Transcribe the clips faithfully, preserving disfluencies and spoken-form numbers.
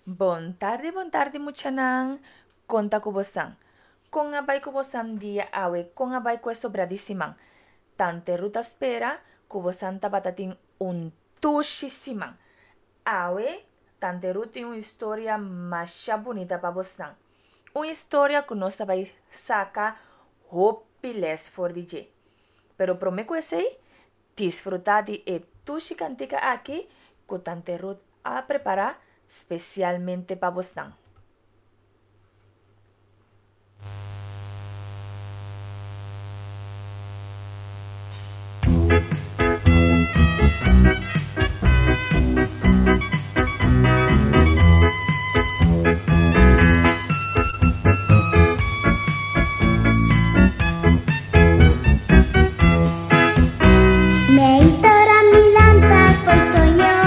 Bon tardi, bon tardi muchanan. Kon ta ku bosan? Kon a bai ku bosan dia awe? Kon a bai ku e sobra di siman? Tante Ruth ta spera ku bosan tabata tin un tushi siman. Awe Tante Ruth tin un historia masha bunita pa bosnan. Un historia ku nos ta bai saka hopi les for di dje. Pero promé ku esei, disfrutá di e tushi kantika aki ku Tante Ruth a prepará spesialmente pa bosnan. Meintora mi lanta fo'i soño,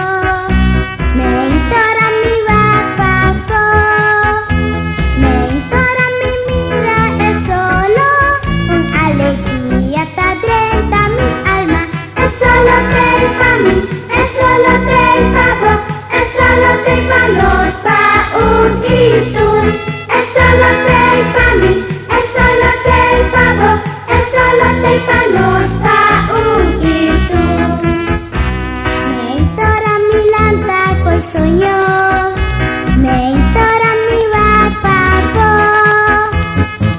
meintora mi wak pafó, meintora mi mira e solo, un alegria ta drenta mi alma. E solo t'ei pa mi, e solo t'ei pa bo, e solo t'ei pa nos, pa un i tur. E solo t'ei pa mi, e solo t'ei pa bo, e solo t'ei pa nos, pa un i tur. Meintora mi lanta fo'i soño, meintora mi wak pafó,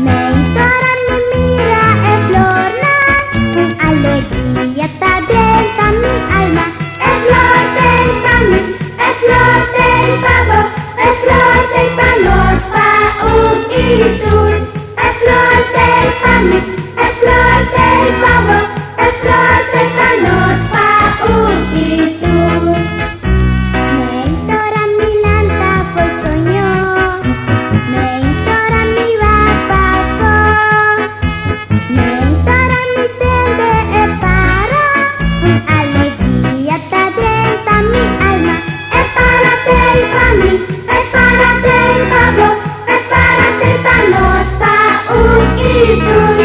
meintora mi mira e flornan, un alegria ta drenta mi alma. E flor t'ei pa mi, e flor t'ei pa bo, e flor t'ei pa nos, pa un i tur. E flor t'ei pa mi, e flor t'ei pa bo, e flor t'ei pa nos, pa un i tur. Meintora mi lanta fo'i soño, meintora mi wak pafó, meintora mi tende e para, un alegria ta drenta mi alma. E para t'ei pa mi, e para t'ei pa bo, e para t'ei pa nos, pa un i tur.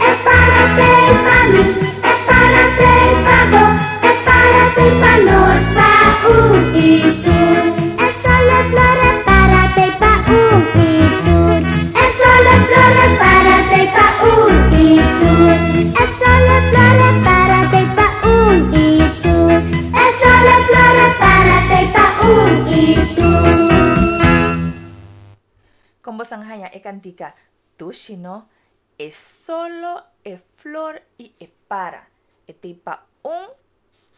E para t'ei pa mi, e para t'ei pa bo, e para t'ei pa nos, pa un i tur. E solo e flor e para t'ei pa un i tur. E solo e flor e para t'ei pa un i tur. E solo e flor e para t'ei pa un i tur. E solo e flor e para t'ei pa un i tur. Kon bosan haña e kantika Dushi no? E solo, e flor i e para. E t'ei pa un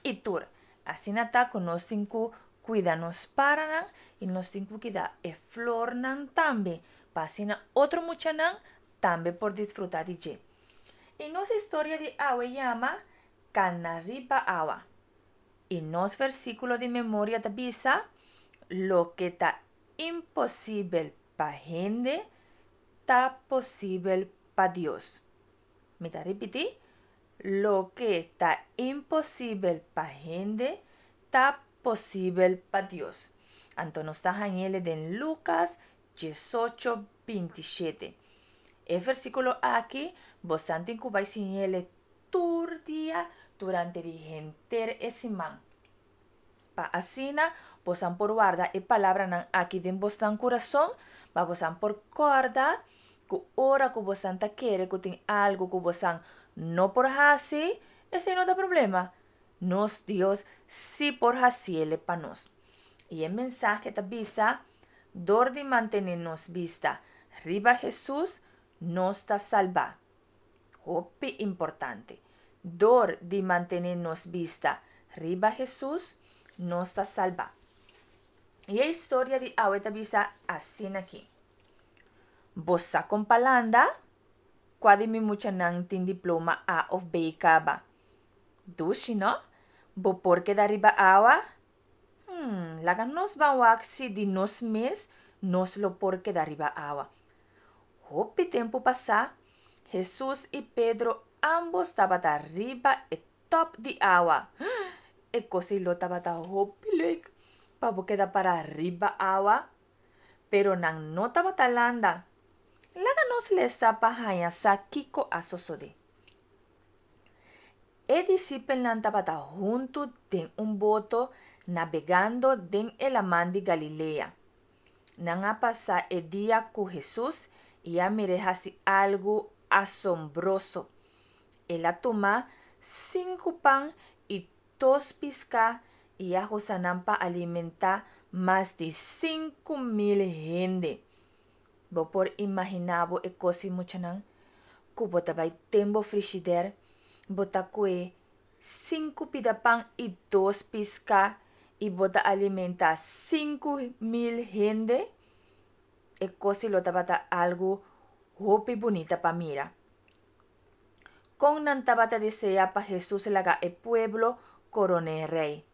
i tur. Asina ta ku nos tin ku kuida nos paranan i nos tin ku kida e flornan tambe pa asina otro muchanan tambe por disfruta di dje. I nos historia di awe yama Kana riba awa. I nos versíkulo di memoria ta bisa, Loke ta imposibel pa hende, ta posibel pa Dios. Mi ta ripití, Loke ta imposibel pa hende, ta posibel pa Dios. Anto nos ta hañ'ele den Lukas diesocho binti shete. E versíkulo aki bosan tin ku bai siñ'ele tur dia durante di henter e siman. Pa asina bosan por warda e palabranan aki den bosnan kurason, pa bosan por kòrda ku ora ku bosan ta kere ku tin algu ku bosan no por hasi, esei no ta problema. Nos Dios sí por hasiele pa nos. I e mensahe ta bisa, Dor di mantené nos bista riba Hesus, nos ta salbá. Hopi importante. Dor di mantené nos bista riba Hesus, nos ta salbá. I e historia di awe ta bisa asina aki. Bo sa kon pa landa? Kua di mi muchanan tin diploma A of B kaba? Dushi, no? Bo por keda riba awa? Hmm, laga nos ban wak si di nos mes nos lo por keda riba awa. Hopi tempu pasá, Hesus i Pedro ámbos tabata riba e tòp di awa. E kos ei lo tabata hopi leuk pa bo keda para riba awa. Pero nan no tabata landa. Laga nos lesa pa haña sa kiko a sosodé. E disipelnan tabata huntu den un boto nabegando den e laman di Galilea. Nan a pasa e dia ku Hesus i a mir'é hasi algu asombroso. El a tuma sinku pan i dos piská i a usa nan pa alimentá mas di sinku mil hende. Bo por imaginá bo e kos ei, muchanan? Ku bo ta bai den bo frishidèr, bo ta kue sinku pida pan i dos piská i bo ta alimentá sinku mil hende? E kos ei lo tabata algu hopi bunita pa mira. Kon nan tabata deseá pa Hesus laga e pueblo koron'é rei.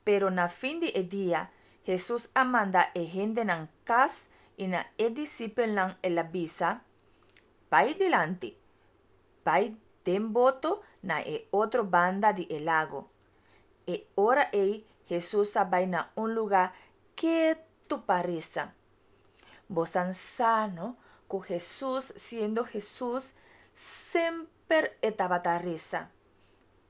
Pero na fin di e dia, Hesus a manda e hendenan kas i na e disipelnan el a bisa: Bai dilanti, bai den boto na e otro banda di e lago. E ora ei Hesus a bai na un lugá ketu pa resa. Bosan sa, no, ku Hesus, siendo Hesus, semper e tabata resa.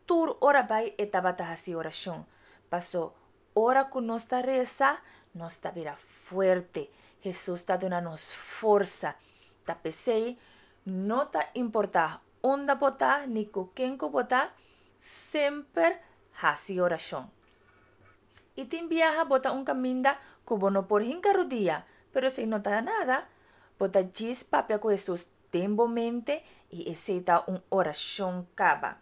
Tur ora bai e tabata hasi orashon. Paso ora ku nos ta resa, nos ta bira fuerte. Hesus ta duna nos forsa. Ta p'esei no ta importá unda bo ta ni ku ken ku bo ta, semper hasi orashon. I tin biaha bo ta un kaminda ku bo no por hinka rudia, pero esei no ta nada. Bo ta djis papia ku Hesus den bo mente i esei ta un orashon kaba.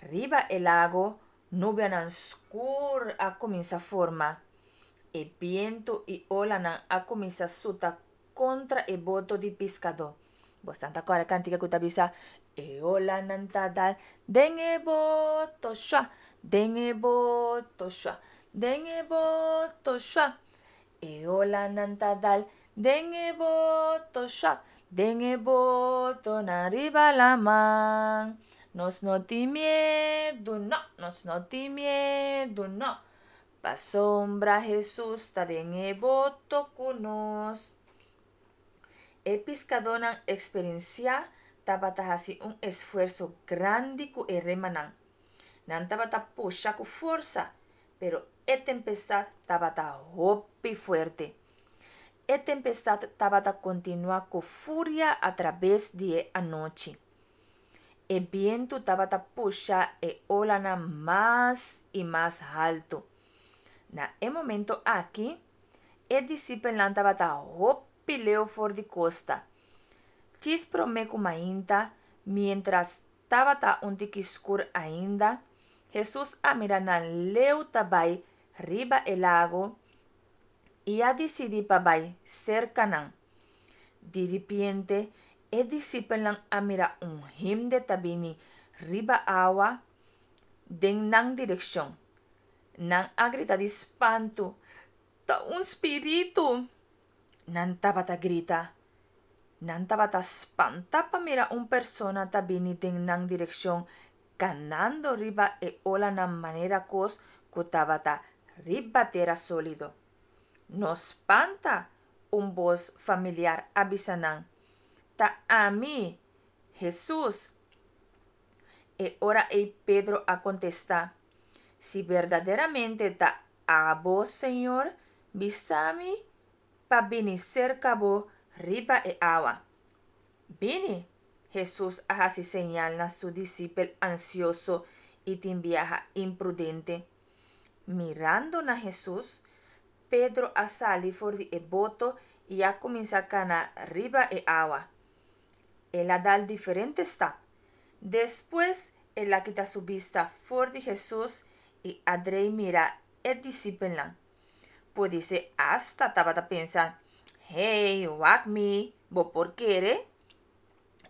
Riba e lago, nubianan skur a kuminsá forma. E bientu i olanan a kuminsá suta kontra e boto di piskadó. Boso ta kòrda e kantika ku ta bisa: E olanan ta dal den e boto shua, den e boto shua, den e boto shua. E olanan ta dal den e boto shua, den e boto na riba laman. Nos no tin miedu, no, nos no tin miedu, no. Pasobra Hesus ta den e boto ku nos. E piskadónan eksperensiá tabata hasi un esfuerso grandi ku e remanan. Nan tabata pusha ku forsa, pero e tempestat tabata hopi fuerte. E tempestat tabata kontinuá ku furia atraves di e anochi. E bientu tabata pusha e olanan mas i mas haltu. Na e momento aki, e disipelnan tabata hopi leu for di kosta. Djis promé ku mainta, miéntras tabata un tiki skur ainda, Hesus a mira nan leu ta bai riba e lago i a disidí pa bai serka nan. Diripiente, e disipelnan a mira un hende ta bini riba awa den nan direkshon. Nan a grita di spantu: Ta un spiritu! Nan tabata grita. Nan tabata spantá pa mira un persona ta bini den nan direkshon kanando riba e olanan manera kos ku tabata riba tera sólido. No spanta, un bos familiar a bisa nan. Ta ami, Hesus. E ora ei Pedro a kontestá: Si berdaderamente ta abo, Señor, bisa mi pa bini serka bo riba e awa. Bini, Hesus a hasi señal na su disipel ansioso i tin biaha imprudente. Mirando na Hesus, Pedro a sali for di e boto i a kuminsá kana riba e awa. El a dal diferente stap. Despues el a kita su bista for di Hesus i a drei mira e disipelnan. Podisé asta tabata pensa: Hey, wak mi, bo por kere?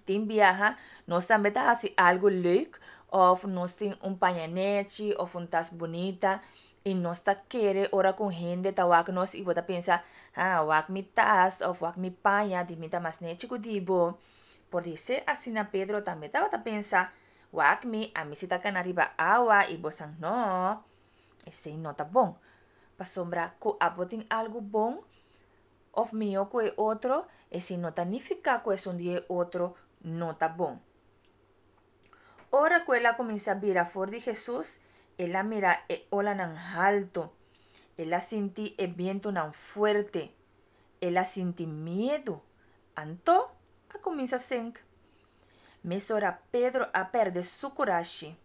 Tin biaha nos tambe ta hasi algu leuk òf nos tin un paña nèchi òf un tas bunita i nos ta kere ora ku hende ta wak nos i bo ta pensa: Ah, wak mi tas òf wak mi paña, di mi ta mas nèchi ku di bo. Podisé asina Pedro tambe tabata pensa: Wak mi, ami si ta kana riba awa i bosan no. Esei no ta bon. Pasobra ku abo tin algu bon òf mihó ku e otro, esei no ta nifiká ku esun di e otro no ta bon. Ora ku el a kuminsá bira for di Hesus, el a mira e olanan haltu. El a sinti e bientunan fuerte. El a sinti miedu. Anto a kuminsá senk. Mesora Pedro a pèrdè su kurashi.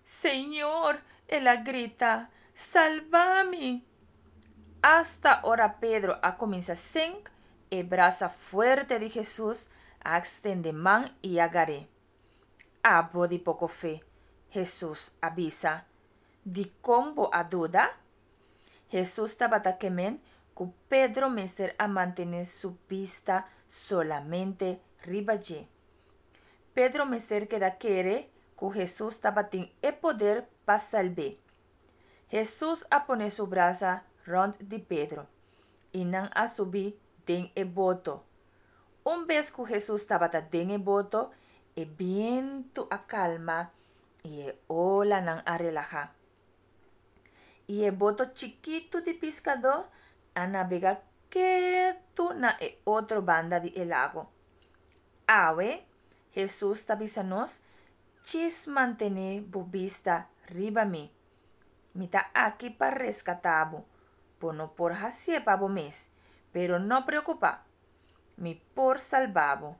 Señor, el a grita, salba mi! Asta ora Pedro a kuminsá senk, e brasa fuerte di Hesus a ekstendé man i a gar'é. Abo di poko fe, Hesus a bisa, dikon bo a duda? Hesus tabata ke men ku Pedro mester a mantené su bista solamente riba dje. Pedro mester keda kere ku Hesus tabatin e poder pa salb'é. Hesus a pone su brasa rònt di Pedro, i nan a subi den e boto. Un bes ku Hesus tabata den e boto, e bientu a kalma i e olanan a relahá. I e boto chikitu di piskadó a nabegá ketu na e otro banda di e lago. Awe, Hesus ta bisa nos, Djis mantené bo bista riba mi. Mi ta aki pa reskatá bo. Bo no por hasié pa bo mes, pero no preokupá. Mi por salba bo.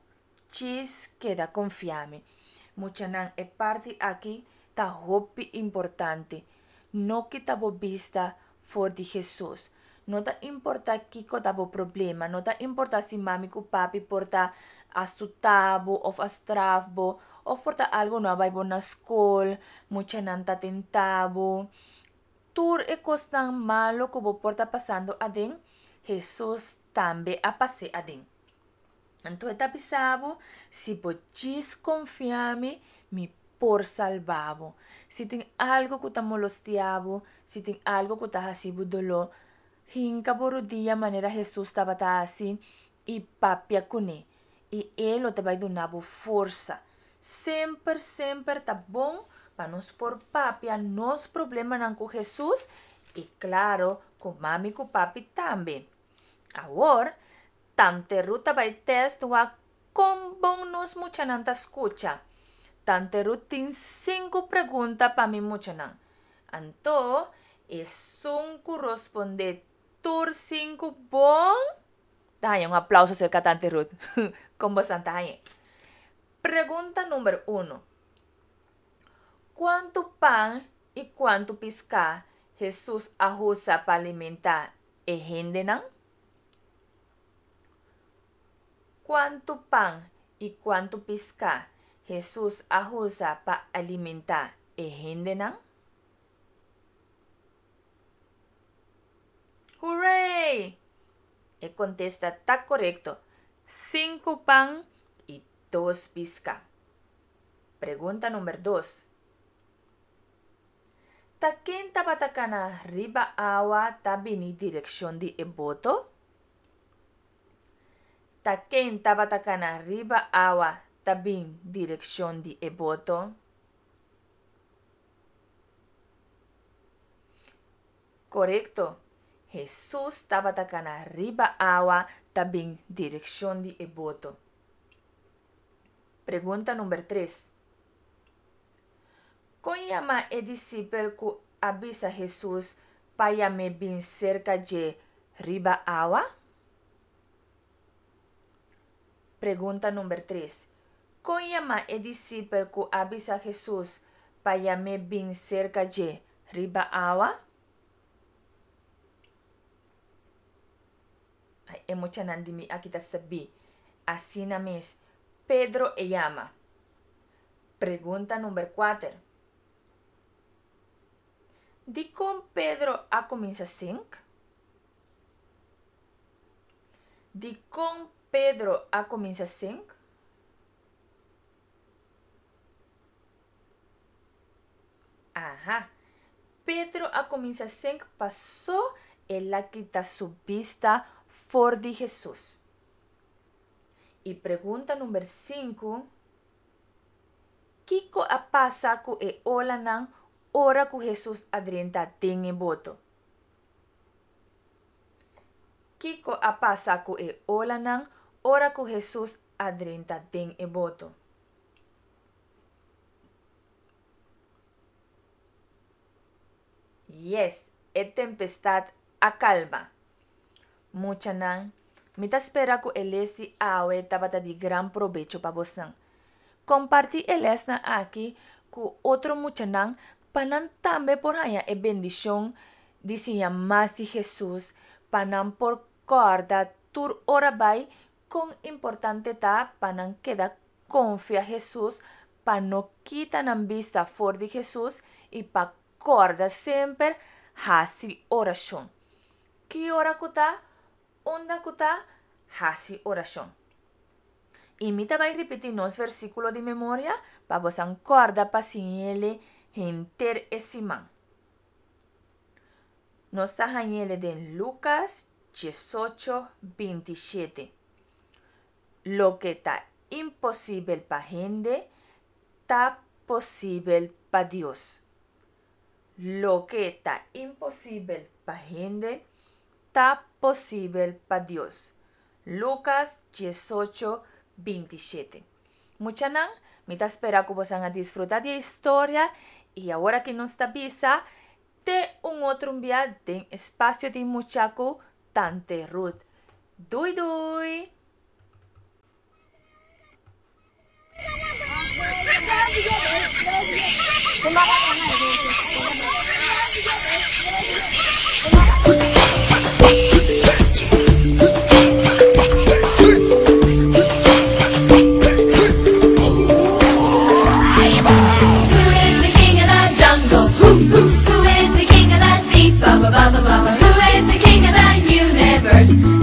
Djis keda konfia mi. Muchanan, e parti aki ta hopi importante. No kita bo bista for di Hesus. No ta importá kiko ta bo problema, no ta importá si mami ku papi por ta a suta bo òf a straf bo, òf por ta algu no a bai bon na skol, muchanan ta tenta bo. Tur e kosnan malu ku bo por ta pasando aden, Hesus tambe a pas'é aden. Anto e ta bisa bo, si bo djis konfia mi, mi por salba bo. Si tin algu ku ta molestia bo, si tin algu ku ta hasi bo doló, hinka bo rudia manera Hesus tabata hasi i papia kuné. I e lo ta bai duna bo forsa. Semper, semper ta bon pa nos por papia nos problemanan ku Hesus i klaro ku mami ku papi tambe. Awor, Tante Ruth ta bai tèst wak kon bon nos muchanan ta skucha. Tante Ruth tin sinku pregunta pa mi muchanan. Anto, esun ku rospondé tur sinku bon, ta haña un aplauso serka Tante Ruth. Kon bosan ta hañ'é? Pregunta number uno. Kuantu pan i kuantu piská Hesus a usa pa alimentá e hendenan? Kuantu pan i kuantu piská Hesus a usa pa alimentá e hendenan? Hooray! E kontesta ta korekto. Sinku pan i dos piská. Pregunta number dos. Ta ken tabata kana riba awa ta bini direkshon di e boto? Ta ken tabata kana riba awa ta bin direkshon di e boto? Korekto. Hesus tabata kana riba awa ta bin direkshon di e boto. Pregunta number tres. Kon yama e disipel ku a bisa Hesus pa yam'é bin serka dje riba awa? Pregunta number tres. Kon yama e disipel ku a bisa Hesus pa yam'é bin serka dje riba awa? Ai, e muchanan di mi aki ta sabí. Asina mes, Pedro e yama. Pregunta number kuater. Dikon Pedro a kuminsá sink? Dikon Pedro a kuminsá sink? Aha. Pedro a kuminsá sink pasó el a kita su bista for di Hesus. I pregunta number sinku, Kiko a pasa ku e olanan ora ku Hesus a drenta den e boto? Kiko a pasa ku e olanan ora ku Hesus a drenta den e boto? Yes, e tempestat a kalma. Muchanan, mi ta spera ku e les di awe tabata di gran probecho pa boso. Kompartí e lesnan aki ku otro muchanan pa nan tambe por haña e bendishon di siña mas di Hesus, pa nan por kòrda tur ora bai kon importante ta pa nan keda konfia Hesus, pa no kita nan bista for di Hesus i pa kòrda semper hasi orashon. Ki ora ku ta, unda ku ta, hasi orashon. I mi ta bai ripití nos versíkulo di memoria pa boso kòrda pa siñ'é henter e siman. Nos ta hañ'é den Lukas diesocho bintishete. Loke ta imposibel pa hende, ta posibel pa Dios. Loke ta imposibel pa hende, ta posibel pa Dios. Lukas diesocho bintishete. Muchanan, mi ta spera ku boso a disfrutá di e historia i awor ku nos ta bisa te un otro dia den Espasio di Mucha ku Tante Ruth. Doei doei! Who is the king of the jungle? Who, who, who is the king of the sea? Ba ba ba ba ba ba. Who is the king of the universe?